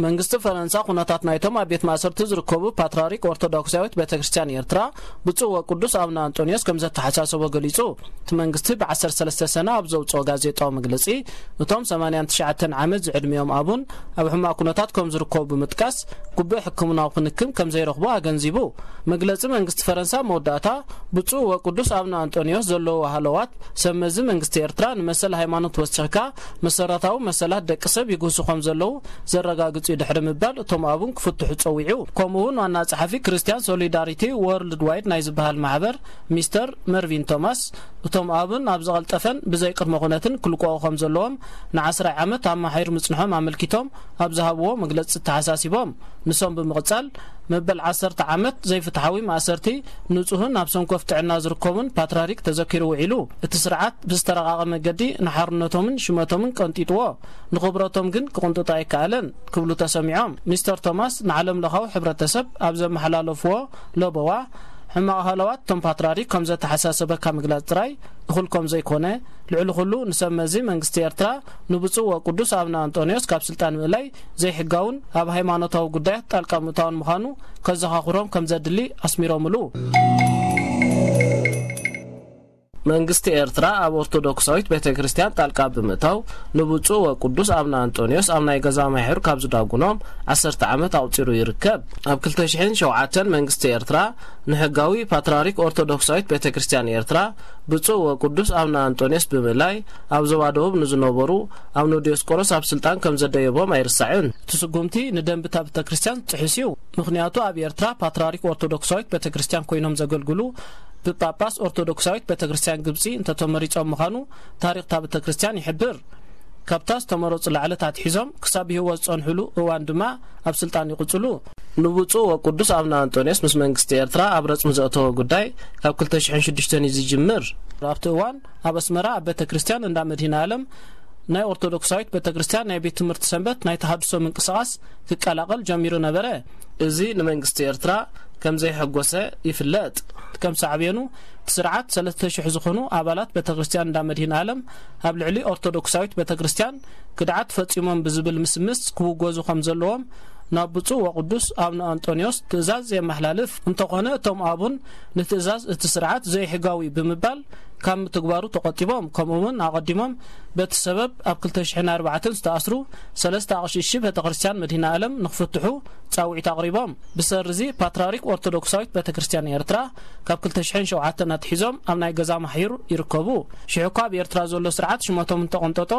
መንግስቲ ፈረንሳ ኩነታት ናይቶም ኣብ ቤት ማእሰርቲ ዝርከቡ ፓትርያርክ ኦርቶዶክሳዊት ቤተ ክርስቲያን ኤርትራ ብፁዕ ወቅዱስ ኣቡነ ኣንጦንዮስ ከም ዘተሓሳሰቦ ገሊጹ። እቲ መንግስቲ ብ13 ሰነ ኣብ ዘውጽኦ ጋዜጣዊ መግለጺ፣ እቶም 89 ዓመት ዝዕድሚኦም ኣቡን ኣብ ሕማቕ ኩነታት ከም ዝርከቡ ብምጥቃስ፣ ግቡእ ሕክምናዊ ክንክን ከም ዘይረኽቡ ኣገንዚቡ። መግለጺ መንግስቲ ፈረንሳ መወዳእታ፣ ብፁዕ ወቅዱስ ኣቡነ ኣንጦንዮስ ዘለዎ ሃለዋት፣ ሰብ መዚ መንግስቲ ኤርትራ ንመሰል ሃይማኖት ወሲኽካ መሰረታዊ መሰላት ደቂ ሰብ ይግህሱ ከም ዘለዉ ዘረጋግጽ እዩ ድሕሪ ምባል፣ እቶም ኣቡን ክፍትሑ ጸዊዑ። ከምኡ እውን ዋና ጸሓፊ ክርስቲያን ሶሊዳሪቲ ወርልድ ዋይድ ናይ ዝበሃል ማሕበር ሚስተር መርቪን ቶማስ፣ እቶም ኣቡን ኣብ ዝቐልጠፈን ብዘይ ቅድመ ኩነትን ክልቀቑ ከም ዘለዎም ንዓስራይ ዓመት ኣማሒሩ ምጽንሖም ኣመልኪቶም ኣብ ዝሃብዎ መግለጺ ተሓሳሲቦም። ንሶም ብምቕጻል፣ መበል ዓሰርተ ዓመት ዘይፍትሓዊ ማእሰርቲ ንጹህን ኣብ ሰንኮፍ ጥዕና ዝርከቡን ፓትርያርክ ተዘኪሩ ውዒሉ። እቲ ስርዓት ብዝተረቓቐ መገዲ ንሓርነቶምን ሽመቶምን ቀንጢጥዎ፣ ንኽብረቶም ግን ክቕንጥጦ ኣይከኣለን ክብሉ ተሰሚዖም። ሚስተር ቶማስ ንዓለም ለኻዊ ሕብረተሰብ ኣብ ዘመሓላለፍዎ ለበዋ፣ ሕማቕ ሃለዋት እቶም ፓትርያርክ ከም ዘተሓሳሰበካ ምግላጽ ጥራይ እኹል ከም ዘይኮነ፣ ልዕሊ ኩሉ ንሰብ መዚ መንግስቲ ኤርትራ ንብፁዕ ወቅዱስ ኣቡነ ኣንጦንዮስ ካብ ስልጣን ምእላይ ዘይሕጋውን ኣብ ሃይማኖታዊ ጉዳያት ጣልቃ ምእታውን ምዃኑ ከዘኻኽሮም ከም ዘድሊ ኣስሚሮምሉ። መንግስቲ ኤርትራ ኣብ ኦርቶዶክሳዊት ቤተ ክርስቲያን ጣልቃ ብምእታው ንብፁዕ ወቅዱስ ኣቡነ ኣንጦንዮስ ኣብ ናይ ገዛ ማሕሩ ካብ ዝዳጉኖም ዓሰርተ ዓመት ኣቑጺሩ ይርከብ። ኣብ ክልተ ሽሕን ሸውዓተን መንግስቲ ኤርትራ ንሕጋዊ ፓትርያርክ ኦርቶዶክሳዊት ቤተ ክርስቲያን ኤርትራ ብፁዕ ወቅዱስ ኣቡነ ኣንጦንዮስ ብምእላይ ኣብ ዞባ ደቡብ ንዝነበሩ ኣቡነ ዲዮስቆሮስ ኣብ ስልጣን ከም ዘደየቦም ኣይርሳዕን። እቲ ስጉምቲ ንደንብታ ቤተ ክርስቲያን ዝጥሕስ እዩ። ምኽንያቱ ኣብ ኤርትራ ፓትርያርክ ኦርቶዶክሳዊት ቤተ ክርስቲያን ኮይኖም ዘገልግሉ ብጳጳስ ኦርቶዶክሳዊት ቤተ ክርስቲያን ግብጺ እንተተመሪጾም ምዃኑ ታሪኽ እታ ቤተ ክርስቲያን ይሕብር። ካብታ ዝተመረጹ ላዕለት ኣትሒዞም ክሳብ ብህይወት ዝጸንሑሉ እዋን ድማ ኣብ ስልጣን ይቕጽሉ። ንብፁዕ ወቅዱስ ኣቡነ ኣንጦንዮስ ምስ መንግስቲ ኤርትራ ኣብ ረጽሚ ዘእተወ ጉዳይ ካብ ክልተ ሽሕን ሽዱሽተን እዩ ዝጅምር። ኣብቲ እዋን ኣብ ኣስመራ ኣብ ቤተ ክርስቲያን እንዳ መድኃኔ ዓለም ናይ ኦርቶዶክሳዊት ቤተ ክርስቲያን ናይ ቤት ትምህርቲ ሰንበት ናይ ተሃድሶ ምንቅስቓስ ክቀላቐል ጀሚሩ ነበረ። እዚ ንመንግስቲ ኤርትራ ከም ዘይሐጎሰ ይፍለጥ። ከም ሳዕቤኑ፣ እቲ ስርዓት ሰለስተ ሽሕ ዝኾኑ ኣባላት ቤተ ክርስቲያን እንዳ መድኃኔ ዓለም ኣብ ልዕሊ ኦርቶዶክሳዊት ቤተ ክርስቲያን ክድዓት ፈጺሞም ብዝብል ምስምስ ክውገዙ ከም ዘለዎም ናብ ብፁዕ ወቅዱስ ኣቡነ ኣንጦንዮስ ትእዛዝ የመሓላልፍ። እንተኾነ፣ እቶም ኣቡን ንትእዛዝ እቲ ስርዓት ዘይሕጋዊ ብምባል ካብ ምትግባሩ ተቖጢቦም። ከምኡ እውን ኣቐዲሞም በቲ ሰበብ ኣብ ክልተ ሽሕን ኣርባዕተን ዝተኣስሩ ሰለስተ ኣቕሽሽቲ ቤተ ክርስቲያን መድኃኔ ዓለም ንኽፍትሑ ጻውዒት ኣቕሪቦም። ብሰሪ እዚ ፓትርያርክ ኦርቶዶክሳዊት ቤተ ክርስቲያን ኤርትራ ካብ ክልተ ሽሕን ሸውዓተን ኣትሒዞም ኣብ ናይ ገዛ ማሕዩር ይርከቡ። ሽዑ እኳ ኣብ ኤርትራ ዘሎ ስርዓት ሽመቶም እንተቐንጠጦ፣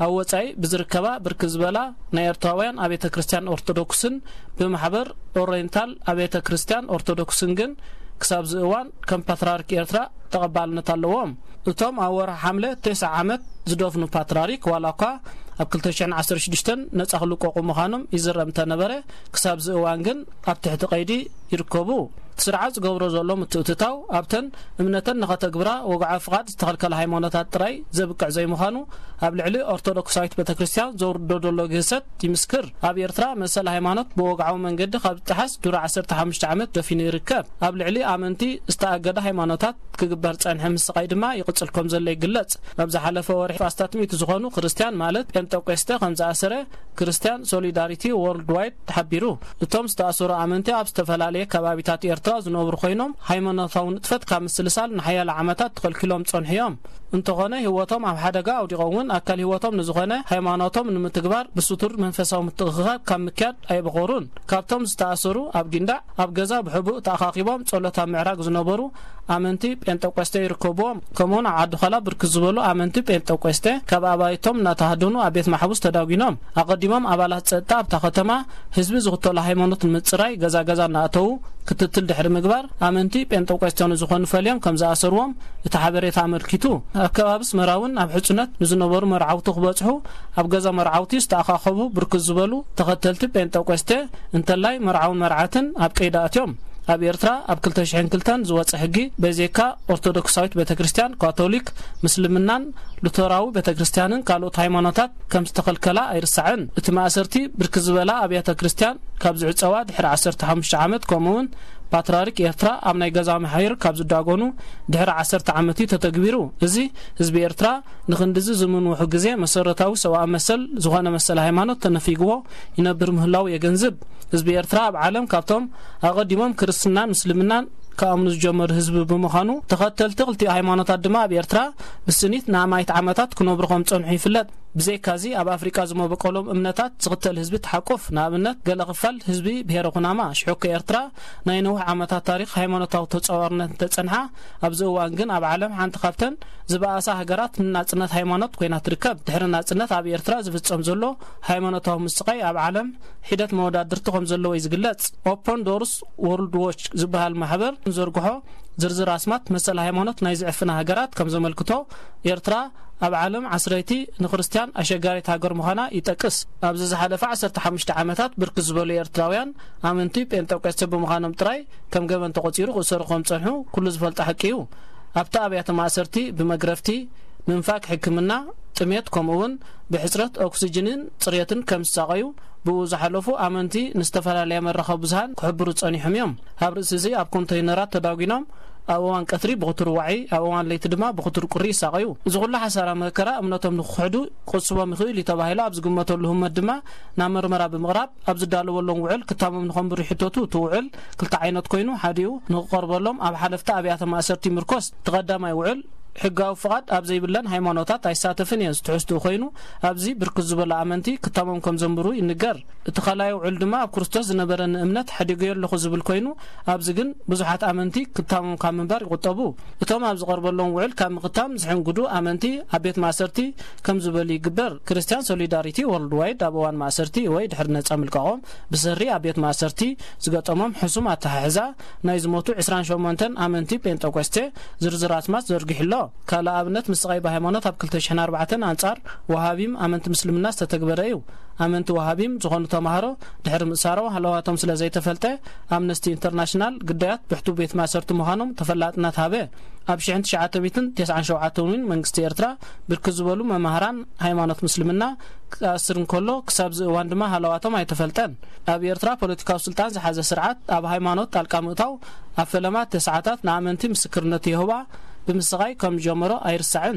ኣብ ወጻኢ ብዝርከባ ብርክት ዝበላ ናይ ኤርትራውያን ኣብያተ ክርስቲያን ኦርቶዶክስን ብማሕበር ኦሬንታል ኣብያተ ክርስቲያን ኦርቶዶክስን ግን ክሳብዚ እዋን ከም ፓትርያርክ ኤርትራ ተቐባልነት ኣለዎም። እቶም ኣብ ወርሒ ሓምለ ተስዓ ዓመት ዝደፍኑ ፓትርያርክ ዋላ እኳ ኣብ ክልተ ሽሕን ዓሰርተ ሽዱሽተን ነጻ ክልቀቑ ምዃኖም ይዝረብ እንተነበረ፣ ክሳብዚ እዋን ግን ኣብ ትሕቲ ቀይዲ ይርከቡ። እቲ ስርዓት ዝገብሮ ዘሎ ምትእትታው ኣብተን እምነተን ንኸተግብራ ወግዓዊ ፍቓድ ዝተኸልከለ ሃይማኖታት ጥራይ ዘብቅዕ ዘይምዃኑ ኣብ ልዕሊ ኦርቶዶክሳዊት ቤተ ክርስቲያን ዘውርዶ ዘሎ ግህሰት ይምስክር። ኣብ ኤርትራ መሰል ሃይማኖት ብወግዓዊ መንገዲ ካብ ዝጠሓስ ድሮ ዓሰርተ ሓሙሽተ ዓመት ደፊኑ ይርከብ። ኣብ ልዕሊ ኣመንቲ ዝተኣገደ ሃይማኖታት ክግበር ጸንሐ ምስቓይ ድማ ይቕጽል ከም ዘሎ ይግለጽ። ኣብ ዝሓለፈ ወርሒ ኣስታት ሚእቲ ዝኾኑ ክርስቲያን ማለት ጴንጠቆስተ ከም ዝኣሰረ ክርስቲያን ሶሊዳሪቲ ወርልድ ዋይድ ተሓቢሩ። እቶም ዝተኣሰሩ ኣመንቲ ኣብ ዝተፈላለየ ከባቢታት ኤርትራ ዝነብሩ ኮይኖም፣ ሃይማኖታዊ ንጥፈት ካብ ምስልሳል ንሓያለ ዓመታት ተኸልኪሎም ጸንሑ እዮም። እንተኾነ፣ ህይወቶም ኣብ ሓደጋ ኣውዲቖም እውን ኣካል ህይወቶም ንዝኾነ ሃይማኖቶም ንምትግባር ብስቱር መንፈሳዊ ምትእኽኻብ ካብ ምክያድ ኣይበኾሩን። ካብቶም ዝተኣሰሩ ኣብ ጊንዳዕ ኣብ ገዛ ብሕቡእ ተኣኻኺቦም ጸሎት ኣብ ምዕራግ ዝነበሩ ኣመንቲ ጴንጠቆስቴ ይርከብዎም። ከምኡውን ኣብ ዓዲ ዃላ ብርክት ዝበሉ ኣመንቲ ጴንጠቆስቴ ካብ ኣባይቶም እናተሃደኑ ኣብ ቤት ማሕቡስ ተዳጒኖም። ኣቐዲሞም ኣባላት ጸጥታ ኣብታ ከተማ ህዝቢ ዝኽተሎ ሃይማኖት ንምጽራይ ገዛ ገዛ እናእተዉ ክትትል ድሕሪ ምግባር፣ ኣመንቲ ጴንጠቆስቴ ንዝኾኑ ፈልዮም ከም ዝኣሰርዎም እቲ ሓበሬታ ኣመልኪቱ። ኣብ ከባቢ ኣስመራ እውን ኣብ ሕጽነት ንዝነበሩ መርዓውቲ ክበጽሑ ኣብ ገዛ መርዓውቲ ዝተኣኻኸቡ ብርክት ዝበሉ ተኸተልቲ ጴንጠቆስቴ፣ እንተላይ መርዓውን መርዓትን ኣብ ቀይዲ ኣትዮም። ኣብ ኤርትራ ኣብ ክልተ ሽሕን ክልተን ዝወጸ ሕጊ በዜካ ኦርቶዶክሳዊት ቤተ ክርስቲያን፣ ካቶሊክ፣ ምስልምናን ሉተራዊ ቤተ ክርስቲያንን ካልኦት ሃይማኖታት ከም ዝተኸልከላ ኣይርሳዕን። እቲ ማእሰርቲ ብርክት ዝበላ ኣብያተ ክርስቲያን ካብ ዝዕጸዋ ድሕሪ ዓሰርተ ሓሙሽተ ዓመት፣ ከምኡውን ፓትርያርክ ኤርትራ ኣብ ናይ ገዛ መሓይር ካብ ዝዳጎኑ ድሕሪ ዓሰርተ ዓመት እዩ ተተግቢሩ። እዚ ህዝቢ ኤርትራ ንኽንድዚ ዝምንውሑ ግዜ መሰረታዊ ሰብኣዊ መሰል ዝኾነ መሰል ሃይማኖት ተነፊግዎ ይነብር ምህላው የገንዝብ። ህዝቢ ኤርትራ ኣብ ዓለም ካብቶም ኣቐዲሞም ክርስትናን ምስልምናን ክኣምኑ ዝጀመሩ ህዝቢ ብምዃኑ፣ ተኸተልቲ ክልቲኡ ሃይማኖታት ድማ ኣብ ኤርትራ ብስኒት ንኣማኢት ዓመታት ክነብሩ ከም ዝጸንሑ ይፍለጥ። ብዘይካዚ ኣብ ኣፍሪቃ ዝመበቆሎም እምነታት ዝኽተል ህዝቢ ተሓቁፍ። ንኣብነት፣ ገለ ክፋል ህዝቢ ብሄረ ኩናማ፣ ሽሕኮ ኤርትራ፣ ናይ ነዊሕ ዓመታት ታሪኽ ሃይማኖታዊ ተጻዋርነት እንተጸንሓ፣ ኣብዚ እዋን ግን ኣብ ዓለም ሓንቲ ካብተን ዝበኣሳ ሃገራት ንናጽነት ሃይማኖት ኮይና ትርከብ። ድሕሪ ናጽነት ኣብ ኤርትራ ዝፍጸም ዘሎ ሃይማኖታዊ ምስቓይ ኣብ ዓለም ሒደት መወዳድርቲ ከም ዘለዎ እዩ ዝግለጽ። ኦፖን ዶርስ ወርልድ ዎች ዝበሃል ማሕበር ንዘርግሖ ዝርዝር ኣስማት መሰል ሃይማኖት ናይ ዝዕፍና ሃገራት ከም ዘመልክቶ፣ ኤርትራ ኣብ ዓለም ዓስረይቲ ንክርስትያን ኣሸጋሪት ሃገር ምዃና ይጠቅስ። ኣብዚ ዝሓለፈ ዓሰርተ ሓሙሽተ ዓመታት ብርክት ዝበሉ ኤርትራውያን ኣመንቲ ጴንጠቆስቴ ብምዃኖም ጥራይ ከም ገበን ተቖጺሩ ክእሰሩ ከም ዝጸንሑ ኩሉ ዝፈልጦ ሓቂ እዩ። ኣብቲ ኣብያተ ማእሰርቲ ብመግረፍቲ፣ ምንፋግ ሕክምና፣ ጥሜት፣ ከምኡ እውን ብሕጽረት ኦክሲጅንን ጽሬትን ከም ዝሳቐዩ ብኡ ዝሓለፉ ኣመንቲ ንዝተፈላለያ መራኸቢ ብዙሃን ክሕብሩ ጸኒሖም እዮም። ኣብ ርእሲ እዚ ኣብ ኮንተይነራት ተዳጒኖም ኣብ እዋን ቀትሪ ብኽቱር ዋዒ፣ ኣብ እዋን ለይቲ ድማ ብኽቱር ቁሪ ይሳቐዩ። እዚ ኩሉ ሓሳራ መከራ እምነቶም ንክኽሕዱ ክቕስቦም ይኽእል እዩ ተባሂሉ ኣብ ዝግመተሉ ህሞት ድማ ናብ መርመራ ብምቕራብ ኣብ ዝዳለወሎም ውዕል ክታሞም ንኸንብሩ ይሕተቱ። እቲ ውዕል ክልተ ዓይነት ኮይኑ፣ ሓዲኡ ንክቐርበሎም ኣብ ሓለፍቲ ኣብያተ ማእሰርቲ ይምርኮስ። እቲ ቀዳማይ ውዕል ሕጋዊ ፍቓድ ኣብ ዘይብለን ሃይማኖታት ኣይሳተፍን እየን ዝትሕዝትኡ ኮይኑ፣ ኣብዚ ብርክት ዝበሉ ኣመንቲ ክታሞም ከም ዘንብሩ ይንገር። እቲ ካልኣይ ውዕል ድማ ኣብ ክርስቶስ ዝነበረኒ እምነት ሓዲገዮ ኣለኹ ዝብል ኮይኑ፣ ኣብዚ ግን ብዙሓት ኣመንቲ ክታሞም ካብ ምንባር ይቑጠቡ። እቶም ኣብ ዝቐርበሎም ውዕል ካብ ምኽታም ዝሕንግዱ ኣመንቲ ኣብ ቤት ማእሰርቲ ከም ዝበሉ ይግበር። ክርስቲያን ሶሊዳሪቲ ወርልድ ዋይድ ኣብ እዋን ማእሰርቲ ወይ ድሕሪ ነጻ ምልቃቖም ብሰሪ ኣብ ቤት ማእሰርቲ ዝገጠሞም ሕሱም ኣተሓሕዛ ናይ ዝሞቱ ዕስራን ሸሞንተን ኣመንቲ ጴንጠቆስቴ ዝርዝር ኣስማት ዘርጊሑ ኣሎ። ካልእ ኣብነት ምስቓይ ብሃይማኖት ኣብ ክልተ ሽሕን ኣርባዕተን ኣንጻር ወሃቢም ኣመንቲ ምስልምና ዝተተግበረ እዩ። ኣመንቲ ወሃቢም ዝኾኑ ተማሃሮ ድሕሪ ምእሳሮም ሃለዋቶም ስለ ዘይተፈልጠ፣ ኣምነስቲ ኢንተርናሽናል ግዳያት ብሕቱ ቤት ማእሰርቲ ምዃኖም ተፈላጥነት ሃበ። ኣብ ሽሕን ትሽዓተ ሚእትን ተስዓን ሸውዓተን እውን መንግስቲ ኤርትራ ብርክት ዝበሉ መማህራን ሃይማኖት ምስልምና ክኣስር እንከሎ፣ ክሳብ እዚ እዋን ድማ ሃለዋቶም ኣይተፈልጠን። ኣብ ኤርትራ ፖለቲካዊ ስልጣን ዝሓዘ ስርዓት ኣብ ሃይማኖት ጣልቃ ምእታው ኣብ ፈለማ ተስዓታት ንኣመንቲ ምስክርነት የሆባ ብምስቓይ ከም ዝጀመሮ ኣይርሳዕን።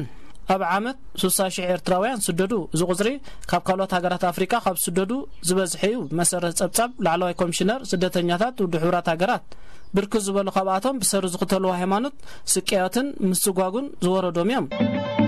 ኣብ ዓመት ሱሳ ሽሕ ኤርትራውያን ስደዱ። እዚ ቁጽሪ ካብ ካልኦት ሃገራት ኣፍሪቃ ካብ ዝስደዱ ዝበዝሐ እዩ። ብመሰረት ጸብጻብ ላዕለዋይ ኮሚሽነር ስደተኛታት ውድብ ሕቡራት ሃገራት፣ ብርክት ዝበሉ ካብኣቶም ብሰሪ ዝኽተልዎ ሃይማኖት ስቅያትን ምስጓጉን ዝወረዶም እዮም።